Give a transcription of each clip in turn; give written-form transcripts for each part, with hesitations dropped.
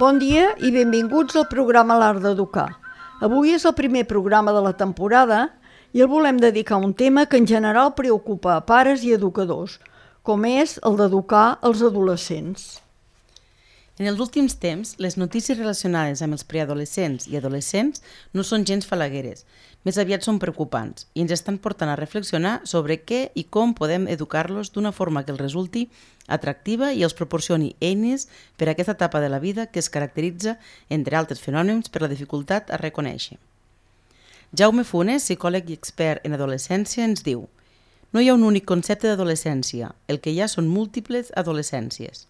Bon dia i benvinguts al programa L'Art d'Educar. Avui és el primer programa de la temporada i el volem dedicar a un tema que en general preocupa a pares i educadors, com és el d'educar els adolescents. En els últims temps, les notícies relacionades amb els preadolescents i adolescents no són gens falagueres, més aviat són preocupants i ens estan portant a reflexionar sobre què i com podem educar-los d'una forma que els resulti atractiva i els proporcioni eines per a aquesta etapa de la vida que es caracteritza, entre altres fenòmens, per la dificultat a reconèixer. Jaume Funes, psicòleg i expert en adolescència, ens diu: no hi ha un únic concepte d'adolescència, el que hi ha són múltiples adolescències.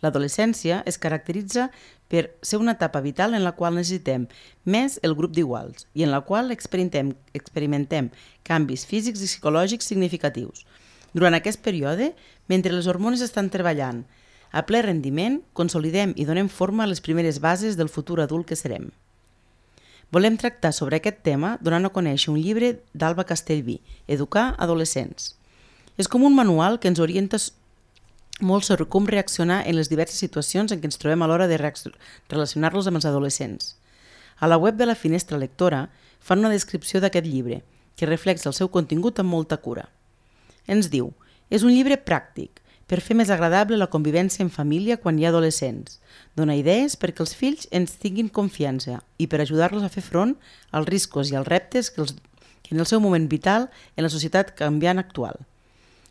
L'adolescència es caracteritza per ser una etapa vital en la qual necessitem més el grup d'iguals i en la qual experimentem canvis físics i psicològics significatius. Durant aquest període, mentre les hormones estan treballant a ple rendiment, consolidem i donem forma a les primeres bases del futur adult que serem. Volem tractar sobre aquest tema donant a conèixer un llibre d'Alba Castellví, Educar adolescents. És com un manual que ens orienta molt sobre com reaccionar en les diverses situacions en què ens trobem a l'hora de relacionar-los amb els adolescents. A la web de la Finestra Lectora fan una descripció d'aquest llibre, que reflexa el seu contingut amb molta cura. Ens diu: és un llibre pràctic, per fer més agradable la convivència en família quan hi ha adolescents. Dona idees perquè els fills ens tinguin confiança i per ajudar-los a fer front als riscos i als reptes que en el seu moment vital en la societat canviant actual.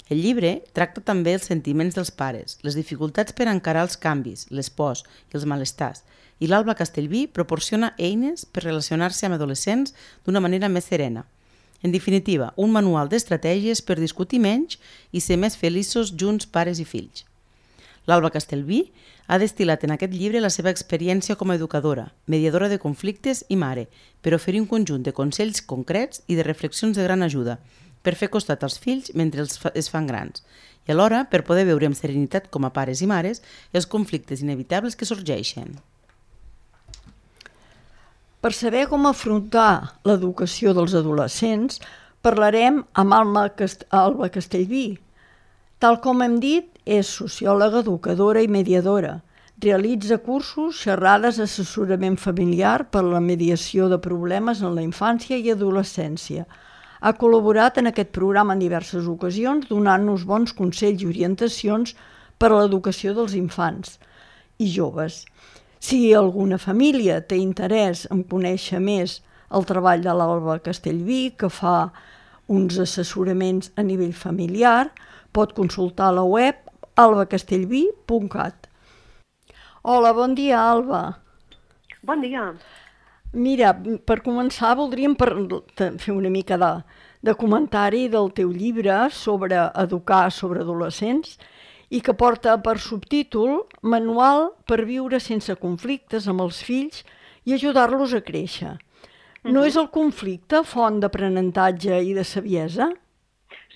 El llibre tracta també els sentiments dels pares, les dificultats per encarar els canvis, les pors i els malestars, i l'Alba Castellví proporciona eines per relacionar-se amb adolescents d'una manera més serena. En definitiva, un manual d'estratègies per discutir menys i ser més feliços junts pares i fills. L'Alba Castellví ha destil·lat en aquest llibre la seva experiència com a educadora, mediadora de conflictes i mare, per oferir un conjunt de consells concrets i de reflexions de gran ajuda, per fer costat als fills mentre es fan grans, i alhora per poder veure amb serenitat com a pares i mares els conflictes inevitables que sorgeixen. Per saber com afrontar l'educació dels adolescents, parlarem amb Alba Castellví. Tal com hem dit, és sociòloga, educadora i mediadora. Realitza cursos, xerrades, assessorament familiar per a la mediació de problemes en la infància i adolescència. Ha col·laborat en aquest programa en diverses ocasions, donant-nos bons consells i orientacions per a l'educació dels infants i joves. Si alguna família té interès en conèixer més el treball de l'Alba Castellví, que fa uns assessoraments a nivell familiar, pot consultar la web albacastellví.cat. Hola, bon dia, Alba. Bon dia. Mira, per començar voldríem fer una mica de comentari del teu llibre sobre educar sobre adolescents i que porta per subtítol Manual per viure sense conflictes amb els fills i ajudar-los a créixer. No és el conflicte font d'aprenentatge i de saviesa?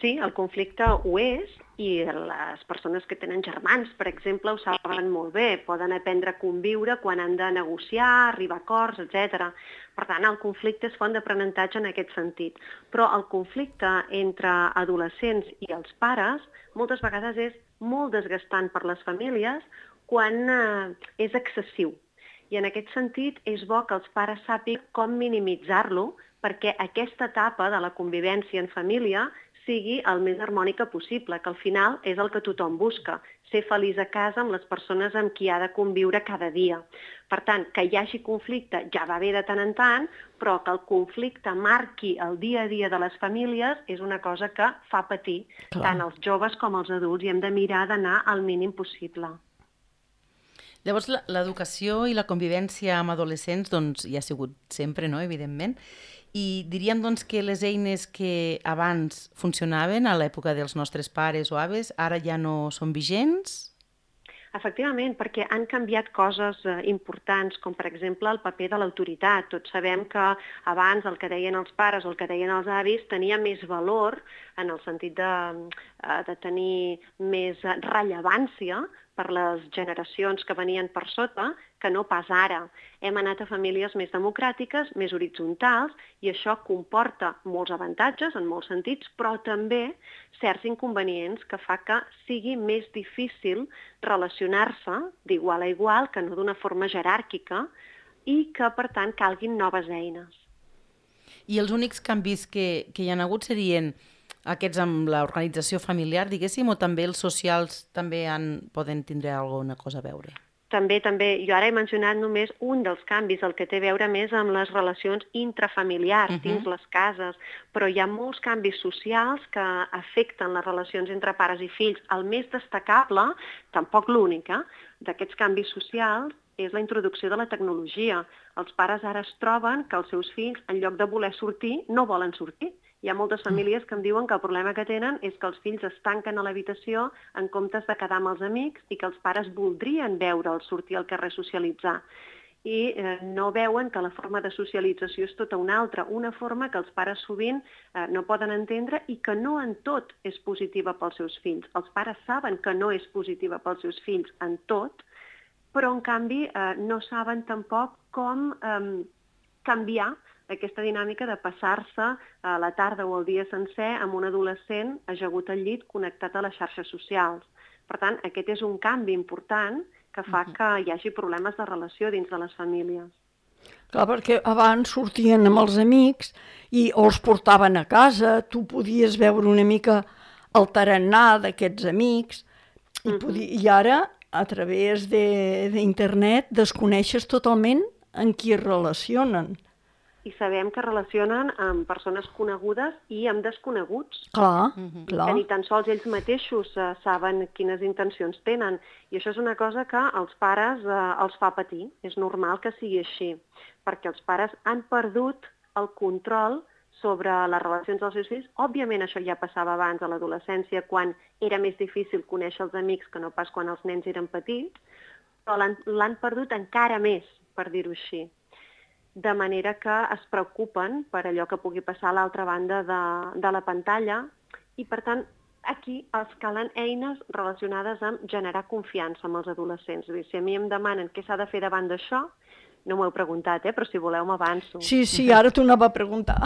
Sí, el conflicte ho és i les persones que tenen germans, per exemple, ho saben molt bé. Poden aprendre a conviure quan han de negociar, arribar a acords, etc. Per tant, el conflicte és font d'aprenentatge en aquest sentit. Però el conflicte entre adolescents i els pares moltes vegades és molt desgastant per les famílies quan és excessiu. I en aquest sentit és bo que els pares sàpiguen com minimitzar-lo perquè aquesta etapa de la convivència en família sigui el més harmònica possible, que al final és el que tothom busca, ser feliç a casa amb les persones amb qui ha de conviure cada dia. Per tant, que hi hagi conflicte ja va bé de tant en tant, però que el conflicte marqui el dia a dia de les famílies és una cosa que fa patir tant els joves com els adults i hem de mirar d'anar al mínim possible. Llavors, l'educació i la convivència amb adolescents doncs, hi ha sigut sempre, no? Evidentment, i diríem doncs, que les eines que abans funcionaven a l'època dels nostres pares o aves ara ja no són vigents? Efectivament, perquè han canviat coses importants, com per exemple el paper de l'autoritat. Tots sabem que abans el que deien els pares o el que deien els avis tenia més valor en el sentit de tenir més rellevància per les generacions que venien per sota que no pas ara. Hem anat a famílies més democràtiques, més horitzontals, i això comporta molts avantatges en molts sentits, però també certs inconvenients que fa que sigui més difícil relacionar-se d'igual a igual, que no d'una forma jeràrquica, i que, per tant, calguin noves eines. I els únics canvis que hi ha hagut serien aquests amb l'organització familiar, diguéssim, o també els socials també poden tindre alguna cosa a veure? També. Jo ara he mencionat només un dels canvis, el que té a veure més amb les relacions intrafamiliars dins les cases, però hi ha molts canvis socials que afecten les relacions entre pares i fills. El més destacable, tampoc l'únic, d'aquests canvis socials és la introducció de la tecnologia. Els pares ara es troben que els seus fills, en lloc de voler sortir, no volen sortir. Hi ha moltes famílies que em diuen que el problema que tenen és que els fills es tanquen a l'habitació en comptes de quedar amb els amics i que els pares voldrien veure'ls sortir al carrer a socialitzar. I no veuen que la forma de socialització és tota una altra, una forma que els pares sovint no poden entendre i que no en tot és positiva pels seus fills. Els pares saben que no és positiva pels seus fills en tot, però en canvi no saben tampoc com canviar aquesta dinàmica de passar-se a la tarda o el dia sencer amb un adolescent ajagut al llit connectat a les xarxes socials. Per tant, aquest és un canvi important que fa que hi hagi problemes de relació dins de les famílies. Clar, perquè abans sortien amb els amics o els portaven a casa, tu podies veure una mica el tarannà d'aquests amics i ara, a través d'internet, desconeixes totalment en qui es relacionen. I sabem que relacionen amb persones conegudes i amb desconeguts. Clar. Que ni tan sols ells mateixos saben quines intencions tenen. I això és una cosa que als pares els fa patir. És normal que sigui així, perquè els pares han perdut el control sobre les relacions dels seus fills. Òbviament això ja passava abans a l'adolescència, quan era més difícil conèixer els amics que no pas quan els nens eren petits, però l'han perdut encara més, per dir-ho així. De manera que es preocupen per allò que pugui passar a l'altra banda de la pantalla i, per tant, aquí els calen eines relacionades amb generar confiança amb els adolescents. Si a mi em demanen què s'ha de fer davant d'això, no m'ho heu preguntat, però si voleu m'avanço. Sí, ara t'ho anava a preguntar.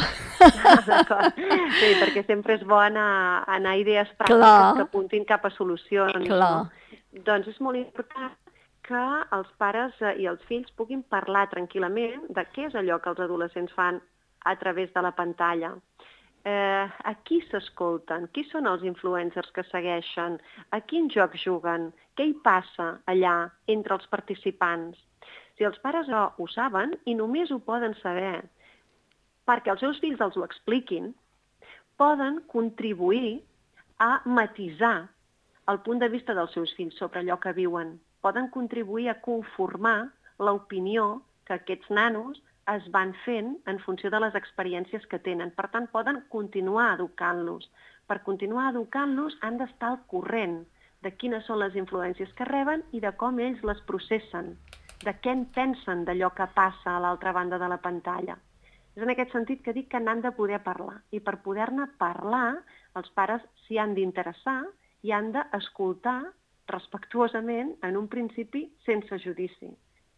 D'acord. Sí, perquè sempre és bo anar a idees pràctiques que apuntin cap a solucions. Clar. No? Doncs és molt important que els pares i els fills puguin parlar tranquil·lament de què és allò que els adolescents fan a través de la pantalla. A qui s'escolten? Qui són els influencers que segueixen? A quin joc juguen? Què hi passa allà entre els participants? Si els pares ho saben i només ho poden saber perquè els seus fills els ho expliquin, poden contribuir a matisar el punt de vista dels seus fills sobre allò que viuen. Poden contribuir a conformar l'opinió que aquests nanos es van fent en funció de les experiències que tenen. Per tant, poden continuar educant-los. Per continuar educant-los han d'estar al corrent de quines són les influències que reben i de com ells les processen, de què en pensen d'allò que passa a l'altra banda de la pantalla. És en aquest sentit que dic que n'han de poder parlar. I per poder-ne parlar, els pares s'hi han d'interessar i han d'escoltar respectuosament, en un principi sense judici,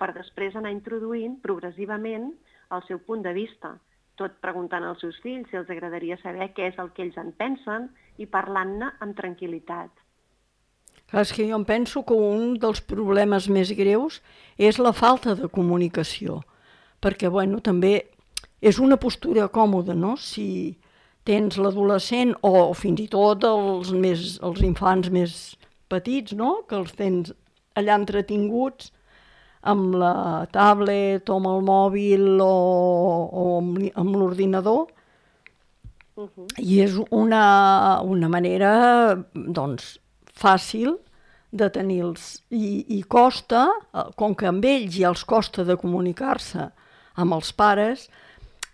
per després anar introduint progressivament el seu punt de vista, tot preguntant als seus fills si els agradaria saber què és el que ells en pensen i parlant-ne amb tranquil·litat. Clar, és que jo em penso que un dels problemes més greus és la falta de comunicació, perquè també és una postura còmoda, no? Si tens l'adolescent o fins i tot els infants més petits, no? Que els tens allà entretinguts amb la tablet o amb el mòbil o amb l'ordinador. I és una manera, fàcil de tenir-los. I costa, com que amb ells ja els costa de comunicar-se amb els pares,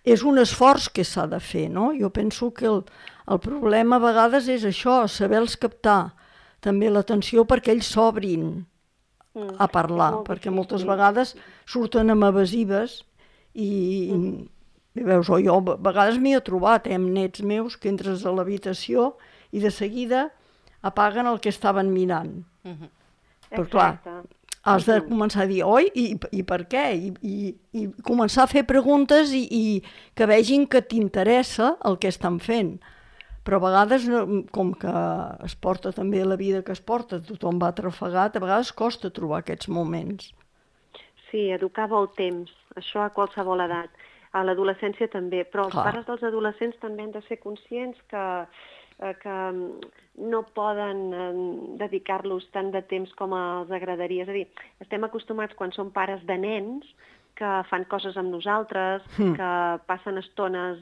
és un esforç que s'ha de fer, no? Jo penso que el problema a vegades és això, saber-los captar també l'atenció perquè ells s'obrin a parlar, perquè moltes vegades surten amb evasives i veus, jo a vegades m'hi he trobat amb nets meus que entres a l'habitació i de seguida apaguen el que estaven mirant. Però clar, has de començar a dir, oi, i per què? I començar a fer preguntes i que vegin que t'interessa el que estan fent. Però a vegades, com que es porta també la vida que es porta, tothom va atrafegat, a vegades costa trobar aquests moments. Sí, educar vol temps, això a qualsevol edat. A l'adolescència també, però els pares dels adolescents també han de ser conscients que no poden dedicar-los tant de temps com els agradaria. És a dir, estem acostumats quan som pares de nens que fan coses amb nosaltres, que passen estones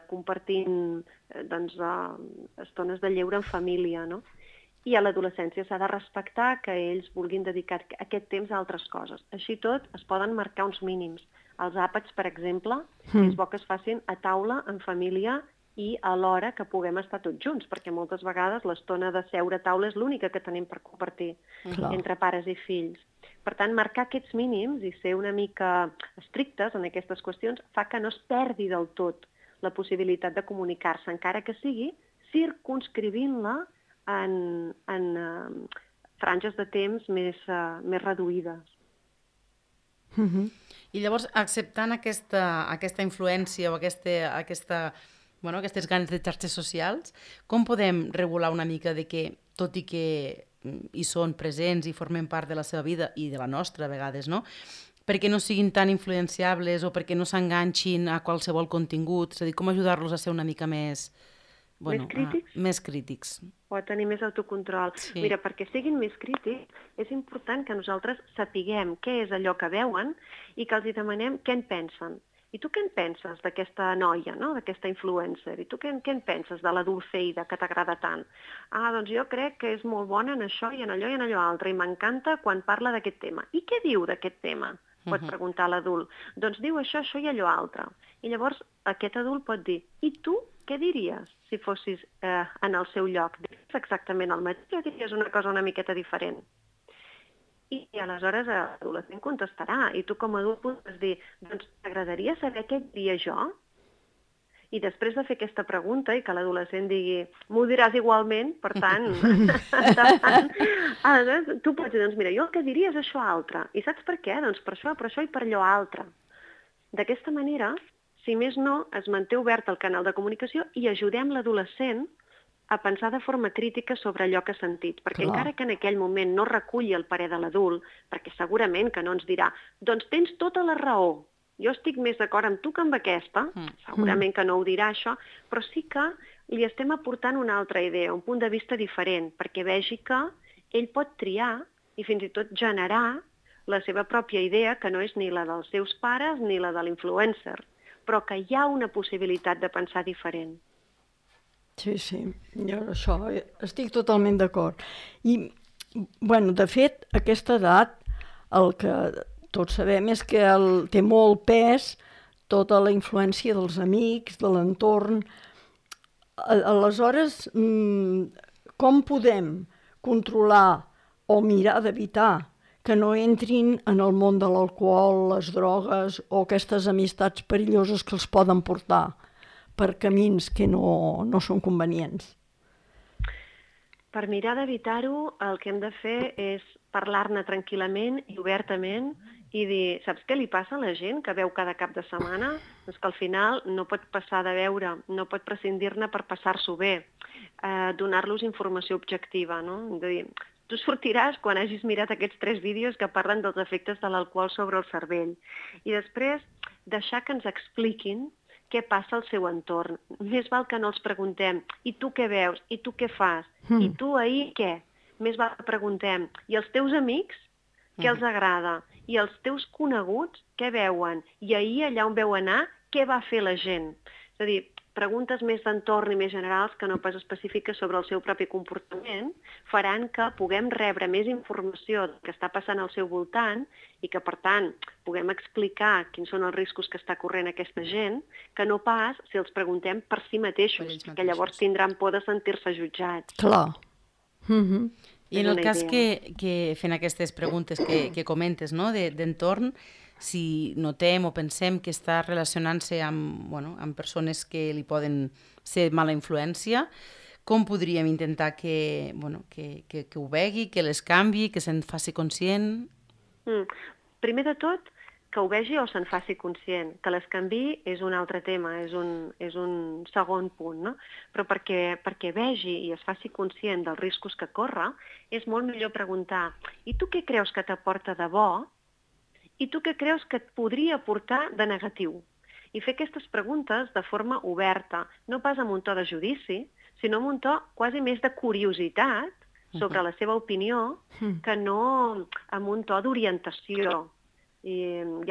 compartint estones de lleure en família, no? I a l'adolescència s'ha de respectar que ells vulguin dedicar aquest temps a altres coses. Així tot, es poden marcar uns mínims. Els àpats, per exemple, és bo que es facin a taula, en família, i alhora que puguem estar tots junts, perquè moltes vegades l'estona de seure a taula és l'única que tenim per compartir entre pares i fills. Per tant, marcar aquests mínims i ser una mica estrictes en aquestes qüestions fa que no es perdi del tot la possibilitat de comunicar-se, encara que sigui circumscrivint-la en franges de temps més reduïdes. I llavors, acceptant aquesta influència o aquestes ganes de xarxes socials, com podem regular una mica de que, tot i que hi són presents i formen part de la seva vida i de la nostra a vegades, no? Perquè no siguin tan influenciables o perquè no s'enganxin a qualsevol contingut, és a dir, com ajudar-los a ser una mica més crítics? O a tenir més autocontrol. Sí. Mira, perquè siguin més crítics, és important que nosaltres sapiguem què és allò que veuen i que els demanem què en pensen. I tu què en penses d'aquesta noia, no? D'aquesta influencer? I tu què en penses de la Dulceida que t'agrada tant? Doncs jo crec que és molt bona en això i en allò i en allò altre, i m'encanta quan parla d'aquest tema. I què diu d'aquest tema? Pot preguntar l'adult. Doncs diu això i allò altre. I llavors aquest adult pot dir, i tu què diries si fossis en el seu lloc? Diries exactament el mateix o diries una cosa una miqueta diferent? I aleshores l'adolescent contestarà, i tu com a adult podràs dir, doncs t'agradaria saber què diria jo? I després de fer aquesta pregunta i que l'adolescent digui, m'ho diràs igualment, per tant, tu pots dir, doncs mira, jo el que diria és això altre. I saps per què? Doncs per això i per allò altre. D'aquesta manera, si més no, es manté obert el canal de comunicació i ajudem l'adolescent a pensar de forma crítica sobre allò que ha sentit, perquè encara que en aquell moment no reculli el parer de l'adult, perquè segurament que no ens dirà, doncs tens tota la raó, jo estic més d'acord amb tu que amb aquesta, segurament que no ho dirà això, però sí que li estem aportant una altra idea, un punt de vista diferent, perquè vegi que ell pot triar i fins i tot generar la seva pròpia idea, que no és ni la dels seus pares ni la de l'influencer, però que hi ha una possibilitat de pensar diferent. Sí, jo això estic totalment d'acord. I, de fet, a aquesta edat, el que tots sabem és que té molt pes tota la influència dels amics, de l'entorn. Aleshores, com podem controlar o mirar d'evitar que no entrin en el món de l'alcohol, les drogues o aquestes amistats perilloses que els poden portar per camins que no són convenients? Per mirar d'evitar-ho, el que hem de fer és parlar-ne tranquil·lament i obertament i dir, saps què li passa a la gent que veu cada cap de setmana? Doncs que al final no pot passar de veure, no pot prescindir-ne per passar-s'ho bé, donar-los informació objectiva, no? De dir, tu sortiràs quan hagis mirat aquests 3 vídeos que parlen dels efectes de l'alcohol sobre el cervell i després deixar que ens expliquin què passa al seu entorn. Més val que no els preguntem, i tu què veus, i tu què fas, i tu ahir què? Més val que preguntem, i els teus amics, què els agrada? I els teus coneguts, què veuen? I ahir, allà on veu anar, què va fer la gent? És a dir, preguntes més d'entorn i més generals que no pas específiques sobre el seu propi comportament faran que puguem rebre més informació que està passant al seu voltant i que, per tant, puguem explicar quins són els riscos que està corrent aquesta gent, que no pas si els preguntem per si mateixos, que llavors tindran por de sentir-se jutjats. Clar. I en el cas que fent aquestes preguntes que comentes, no, d'entorn, si notem o pensem que està relacionant-se amb persones que li poden ser mala influència, com podríem intentar que ho vegi, que les canvi, que se'n faci conscient? Primer de tot, que ho vegi o se'n faci conscient. Que les canviï és un altre tema, és un segon punt, no? Però perquè vegi i es faci conscient dels riscos que corre, és molt millor preguntar: i tu què creus que t'aporta de bo? I tu què creus que et podria aportar de negatiu? I fer aquestes preguntes de forma oberta, no pas amb un to de judici, sinó amb un to quasi més de curiositat sobre la seva opinió, que no amb un to d'orientació i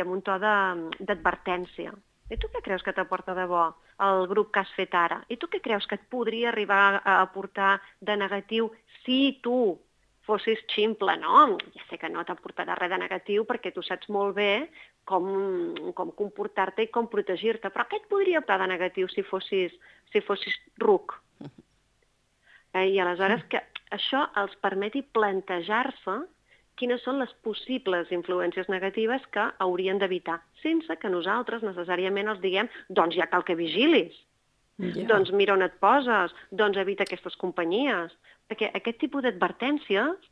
amb un to d'advertència. I tu què creus que t'aporta de bo el grup que has fet ara? I tu què creus que et podria arribar a aportar de negatiu si tu fossis ximple, no? Ja sé que no t'aportarà res de negatiu perquè tu saps molt bé com comportar-te i com protegir-te, però què et podria aportar de negatiu si fossis ruc? I aleshores que això els permeti plantejar-se quines són les possibles influències negatives que haurien d'evitar, sense que nosaltres necessàriament els diguem doncs ja cal que vigilis, doncs mira on et poses, doncs evita aquestes companyies. Perquè aquest tipus d'advertències,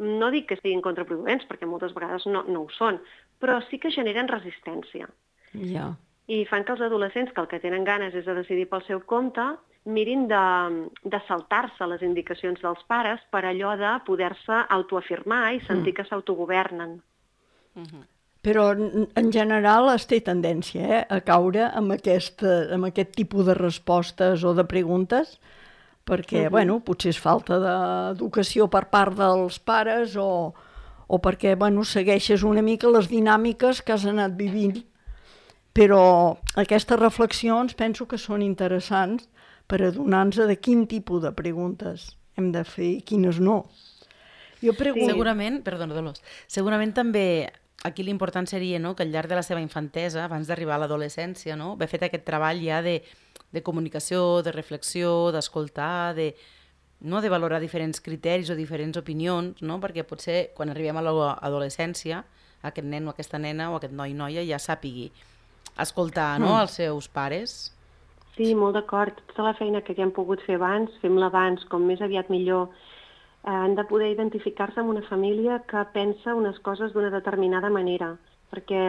no dic que siguin contraproduents, perquè moltes vegades no ho són, però sí que generen resistència. I fan que els adolescents, que el que tenen ganes és de decidir pel seu compte, mirin de saltar-se les indicacions dels pares per allò de poder-se autoafirmar i sentir que s'autogovernen. Però en general es té tendència a caure amb aquest tipus de respostes o de preguntes, perquè potser és falta d'educació per part dels pares o perquè segueixes una mica les dinàmiques que has anat vivint. Però aquestes reflexions penso que són interessants per adonar-nos de quin tipus de preguntes hem de fer i quines no. Segurament, perdona, Dolors, segurament també aquí l'important seria que al llarg de la seva infantesa, abans d'arribar a l'adolescència, haver fet aquest treball ja de comunicació, de reflexió, d'escoltar, de valorar diferents criteris o diferents opinions, perquè potser quan arribem a l'adolescència aquest nen o aquesta nena o aquest noi o noia ja sàpigui escoltar els seus pares. Sí, molt d'acord. Tota la feina que hem pogut fer abans, fem-la abans, com més aviat millor. Han de poder identificar-se amb una família que pensa unes coses d'una determinada manera, perquè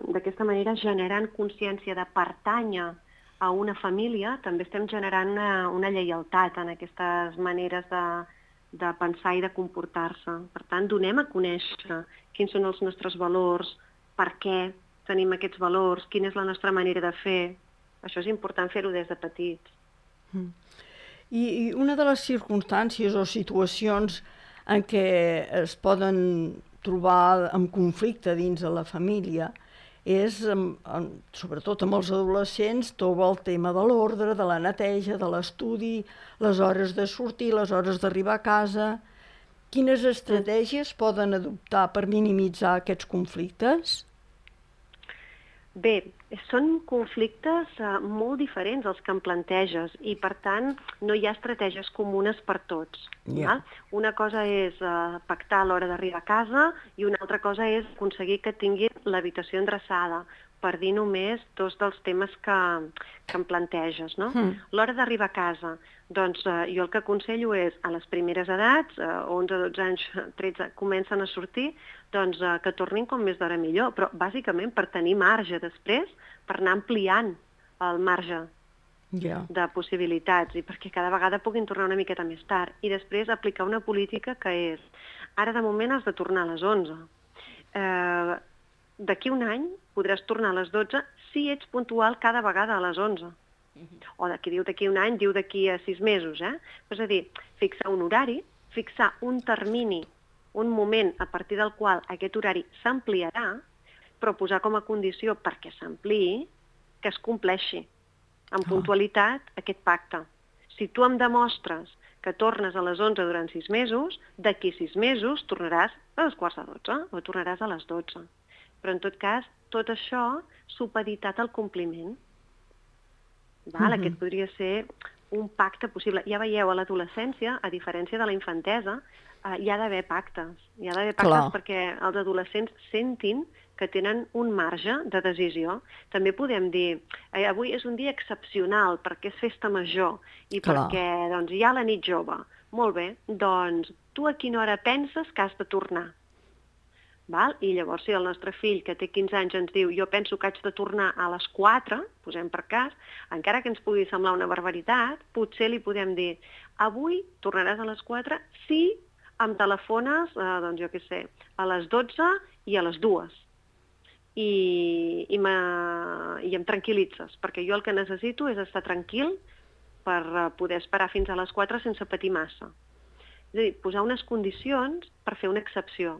d'aquesta manera, generant consciència de pertànyer a una família, també estem generant una lleialtat en aquestes maneres de pensar i de comportar-se. Per tant, donem a conèixer quins són els nostres valors, per què tenim aquests valors, quina és la nostra manera de fer. Això és important fer-ho des de petits. I una de les circumstàncies o situacions en què es poden trobar en conflicte dins de la família és, sobretot amb els adolescents, tot el tema de l'ordre, de la neteja, de l'estudi, les hores de sortir, les hores d'arribar a casa. Quines estratègies poden adoptar per minimitzar aquests conflictes? Bé, són conflictes molt diferents els que em planteges i, per tant, no hi ha estratègies comunes per tots. Val? Una cosa és pactar a l'hora d'arribar a casa i una altra cosa és aconseguir que tinguin l'habitació endreçada, per dir només dos dels temes que em planteges. No? L'hora d'arribar a casa, doncs jo el que aconsello és, a les primeres edats, 11, 12 anys, 13, comencen a sortir, doncs que tornin com més d'hora millor, però bàsicament per tenir marge després, per anar ampliant el marge de possibilitats i perquè cada vegada puguin tornar una miqueta més tard. I després aplicar una política que és, ara de moment has de tornar a les 11. D'aquí un any podràs tornar a les 12 si ets puntual cada vegada a les 11. O d'aquí un any, diu d'aquí a 6 mesos. És a dir, fixar un horari, fixar un termini, un moment a partir del qual aquest horari s'ampliarà, però posar com a condició perquè s'ampliï que es compleixi amb puntualitat aquest pacte. Si tu em demostres que tornes a les 11 durant 6 mesos, d'aquí 6 mesos tornaràs a les 11:15 o tornaràs a les 12. Però en tot cas, tot això supeditat al compliment. Aquest podria ser un pacte possible. Ja veieu, a l'adolescència, a diferència de la infantesa, hi ha d'haver pactes. Hi ha d'haver pactes perquè els adolescents sentin que tenen un marge de decisió. També podem dir, avui és un dia excepcional perquè és festa major i perquè doncs, hi ha la nit jove. Molt bé, doncs tu a quina hora penses que has de tornar? Val? I llavors si el nostre fill, que té 15 anys, ens diu jo penso que haig de tornar a les 4, posem per cas, encara que ens pugui semblar una barbaritat, potser li podem dir avui tornaràs a les 4 si em telefones, doncs jo què sé, a les 12 i a les 2. I em tranquil·litzes, perquè jo el que necessito és estar tranquil per poder esperar fins a les 4 sense patir massa. És a dir, posar unes condicions per fer una excepció.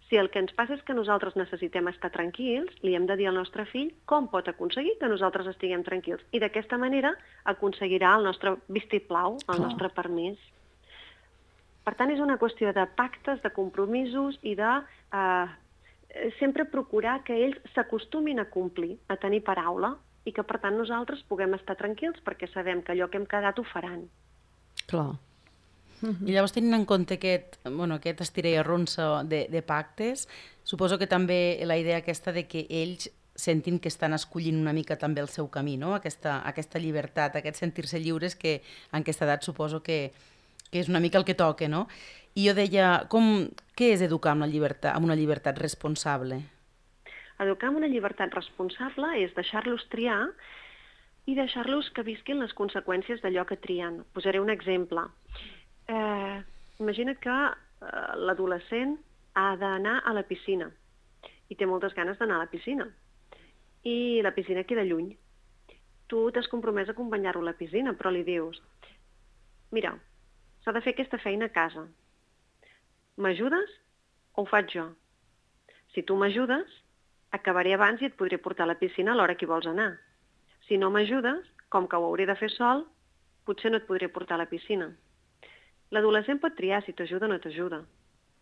Si el que ens passa és que nosaltres necessitem estar tranquils, li hem de dir al nostre fill com pot aconseguir que nosaltres estiguem tranquils. I d'aquesta manera aconseguirà el nostre vistiplau, el nostre permís. Per tant, és una qüestió de pactes, de compromisos i de sempre procurar que ells s'acostumin a complir, a tenir paraula, i que, per tant, nosaltres puguem estar tranquils perquè sabem que allò que hem quedat ho faran. Clar. I llavors, tenint en compte aquest estira i arronsa de pactes, suposo que també la idea aquesta de que ells sentin que estan escollint una mica també el seu camí, no? Aquesta llibertat, aquest sentir-se lliures que en aquesta edat suposo que és una mica el que toca, no? I jo deia, què és educar amb una llibertat responsable? Educar amb una llibertat responsable és deixar-los triar i deixar-los que visquin les conseqüències d'allò que trien. Posaré un exemple. Imagina't que l'adolescent ha d'anar a la piscina i té moltes ganes d'anar a la piscina i la piscina queda lluny. Tu t'has compromès a acompanyar-lo a la piscina, però li dius mira, s'ha de fer aquesta feina a casa. M'ajudes o ho faig jo? Si tu m'ajudes, acabaré abans i et podré portar a la piscina a l'hora que hi vols anar. Si no m'ajudes, com que ho hauré de fer sol, potser no et podré portar a la piscina. L'adolescent pot triar si t'ajuda o no t'ajuda.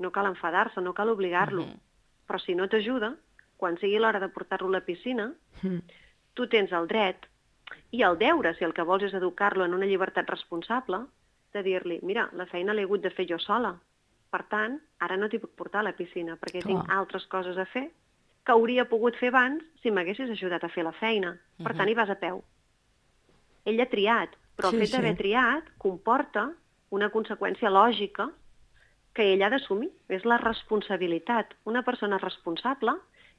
No cal enfadar-se, no cal obligar-lo. Però si no t'ajuda, quan sigui l'hora de portar-lo a la piscina, tu tens el dret i el deure, si el que vols és educar-lo en una llibertat responsable, de dir-li, mira, la feina l'he hagut de fer jo sola. Per tant, ara no t'hi puc portar a la piscina, perquè tinc altres coses a fer que hauria pogut fer abans si m'haguessis ajudat a fer la feina. Per tant, hi vas a peu. Ell ha triat, però el fet d'haver triat comporta una conseqüència lògica que ell ha d'assumir. És la responsabilitat. Una persona responsable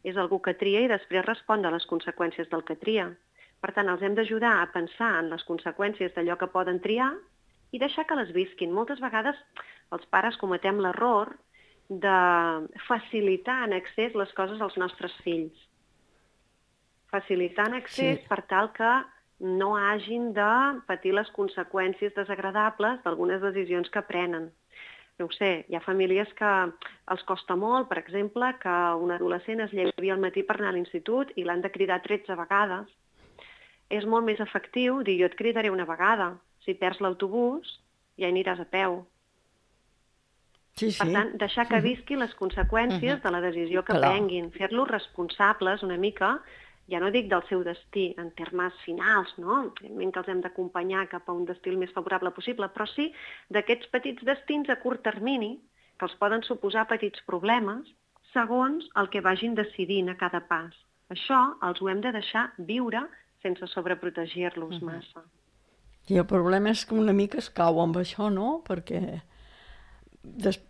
és algú que tria i després respon a les conseqüències del que tria. Per tant, els hem d'ajudar a pensar en les conseqüències d'allò que poden triar i deixar que les visquin. Moltes vegades els pares cometem l'error de facilitar en excés les coses als nostres fills. Facilitar en excés per tal que no hagin de patir les conseqüències desagradables d'algunes decisions que prenen. No ho sé, hi ha famílies que els costa molt, per exemple, que un adolescent es llevi al matí per anar a l'institut i l'han de cridar 13 vegades. És molt més efectiu dir jo et cridaré una vegada. Si perds l'autobús, ja hi aniràs a peu. Per tant, deixar que visqui les conseqüències de la decisió que prenguin, fer-los responsables una mica, ja no dic del seu destí en termes finals, no? Evidentment que els hem d'acompanyar cap a un destí el més favorable possible, però sí d'aquests petits destins a curt termini que els poden suposar petits problemes segons el que vagin decidint a cada pas. Això els ho hem de deixar viure sense sobreprotegir-los massa. I el problema és que una mica es cau amb això, no? Perquè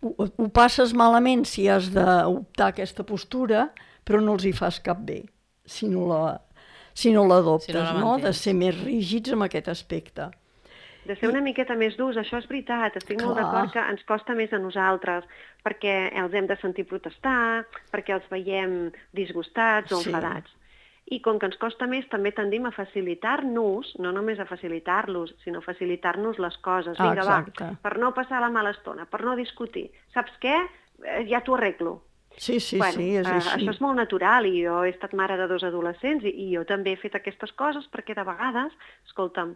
ho passes malament si has d'optar aquesta postura, però no els hi fas cap bé si no l'adoptes, no? De ser més rígids en aquest aspecte. De ser una miqueta més durs, això és veritat, estic molt d'acord que ens costa més a nosaltres, perquè els hem de sentir protestar, perquè els veiem disgustats o enfadats. I com que ens costa més, també tendim a facilitar-nos, no només a facilitar-los, sinó a facilitar-nos les coses. Vinga, va, per no passar la mala estona, per no discutir. Saps què? Ja t'ho arreglo. Sí, és així. Això és molt natural i jo he estat mare de 2 adolescents i jo també he fet aquestes coses perquè de vegades, escolta'm,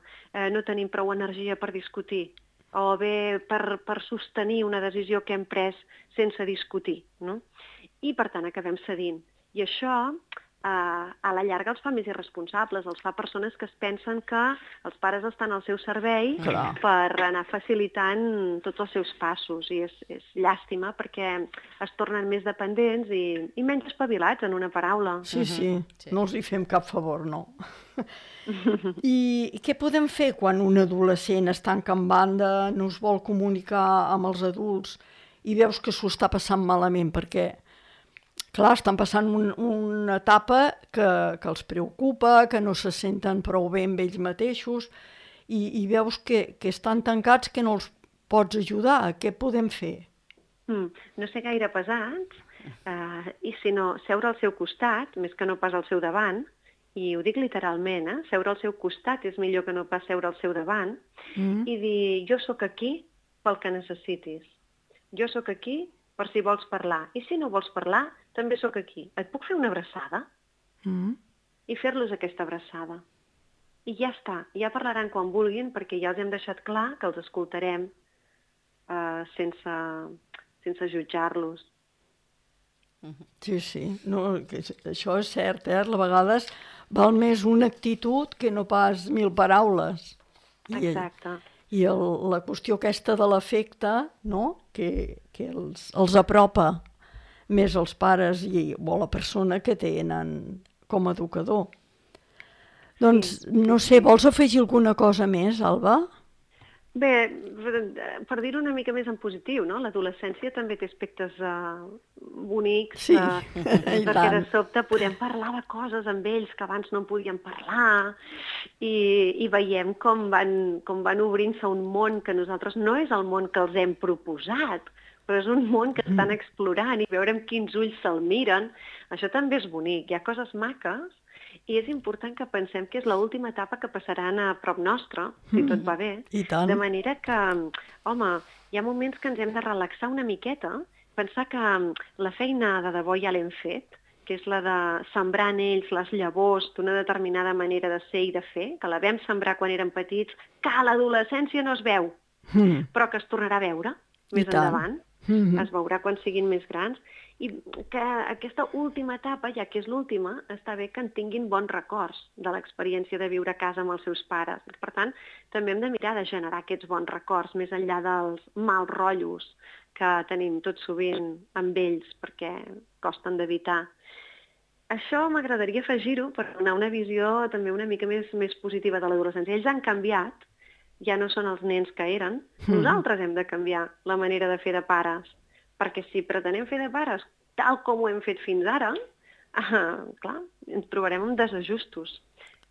no tenim prou energia per discutir o bé per sostenir una decisió que hem pres sense discutir, no? I per tant acabem cedint. I això a la llarga els fa més irresponsables, els fa persones que es pensen que els pares estan al seu servei per anar facilitant tots els seus passos, i és llàstima perquè es tornen més dependents i menys espavilats, en una paraula. Sí. No els hi fem cap favor, no. I què podem fer quan un adolescent es tanca en banda, no es vol comunicar amb els adults i veus que s'ho està passant malament? Perquè clar, estan passant una etapa que els preocupa, que no se senten prou bé amb ells mateixos i veus que estan tancats, que no els pots ajudar. Què podem fer? No ser gaire pesats i si no, seure al seu costat, més que no pas al seu davant, i ho dic literalment, seure al seu costat és millor que no pas seure al seu davant, i dir, jo sóc aquí pel que necessitis. Jo sóc aquí per si vols parlar. I si no vols parlar, també sóc aquí. Et puc fer una abraçada? I fer-los aquesta abraçada. I ja està. Ja parlaran quan vulguin, perquè ja els hem deixat clar que els escoltarem sense jutjar-los. Sí. No, això és cert, A vegades val més una actitud que no pas 1000 paraules. Exacte. I la qüestió aquesta de l'afecte, no? que els apropa més als pares o la persona que tenen com a educador. Doncs, no sé, vols afegir alguna cosa més, Alba? Bé, per dir-ho una mica més en positiu, no? L'adolescència també té aspectes bonics, perquè de sobte podem parlar de coses amb ells que abans no en podíem parlar i veiem com van obrint-se un món que nosaltres no és el món que els hem proposat, però és un món que estan explorant i veure amb quins ulls se'l miren. Això també és bonic, hi ha coses maques. I és important que pensem que és l'última etapa que passaran a prop nostre, si tot va bé. I tant. De manera que, home, hi ha moments que ens hem de relaxar una miqueta, pensar que la feina de debò ja l'hem fet, que és la de sembrar en ells les llavors d'una determinada manera de ser i de fer, que la vam sembrar quan érem petits, que a l'adolescència no es veu, però que es tornarà a veure més endavant. Es veurà quan siguin més grans, i que aquesta última etapa, ja que és l'última, està bé que en tinguin bons records de l'experiència de viure a casa amb els seus pares. Per tant, també hem de mirar de generar aquests bons records, més enllà dels mals rotllos que tenim tot sovint amb ells, perquè costen d'evitar. Això m'agradaria afegir-ho per donar una visió també una mica més positiva de l'adolescència. Ells han canviat, ja no són els nens que eren. Nosaltres hem de canviar la manera de fer de pares, perquè si pretenem fer de pares tal com ho hem fet fins ara, clar, ens trobarem amb desajustos.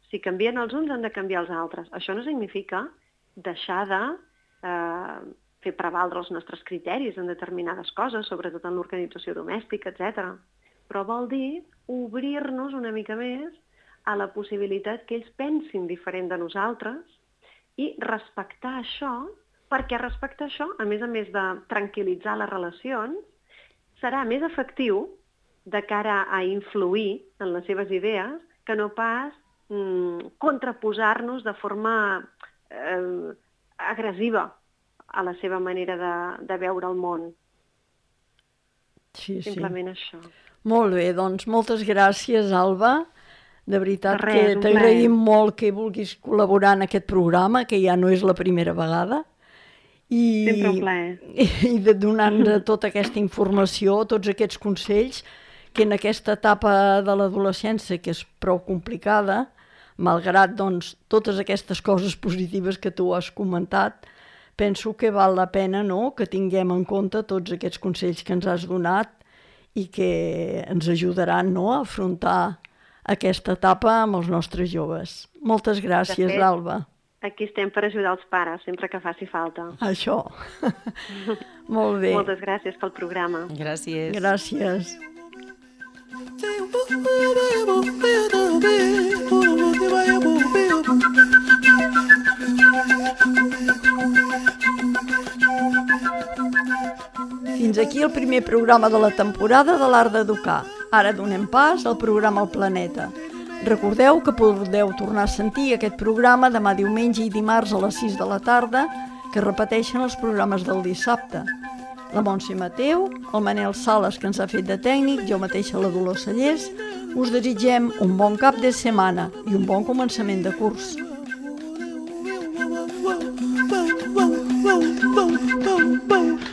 Si canvien els uns, han de canviar els altres. Això no significa deixar de fer prevaldre els nostres criteris en determinades coses, sobretot en l'organització domèstica, etc. Però vol dir obrir-nos una mica més a la possibilitat que ells pensin diferent de nosaltres i respectar això, perquè respectar això, a més de tranquil·litzar les relacions, serà més efectiu de cara a influir en les seves idees que no pas contraposar-nos de forma agressiva a la seva manera de veure el món. Sí. Simplement això. Molt bé, doncs moltes gràcies, Alba. De veritat que t'agraïm molt que vulguis col·laborar en aquest programa, que ja no és la primera vegada. Sempre un plaer. I de donar-nos tota aquesta informació, tots aquests consells, que en aquesta etapa de l'adolescència, que és prou complicada, malgrat doncs, totes aquestes coses positives que tu has comentat, penso que val la pena, no?, que tinguem en compte tots aquests consells que ens has donat i que ens ajudaran, no?, a afrontar aquesta etapa amb els nostres joves. Moltes gràcies, Alba. Aquí estem per ajudar els pares, sempre que faci falta. Això. Molt bé. Moltes gràcies pel programa. Gràcies. Gràcies. Fins aquí el primer programa de la temporada de l'Art d'Educar. Ara donem pas al programa El Planeta. Recordeu que podeu tornar a sentir aquest programa demà diumenge i dimarts a les 6 de la tarda, que repeteixen els programes del dissabte. La Montse Mateu, el Manel Sales, que ens ha fet de tècnic, jo mateixa la Dolors Cellers, Us desitgem un bon cap de setmana i un bon començament de curs. Boom, boom, boom, boom, boom, boom.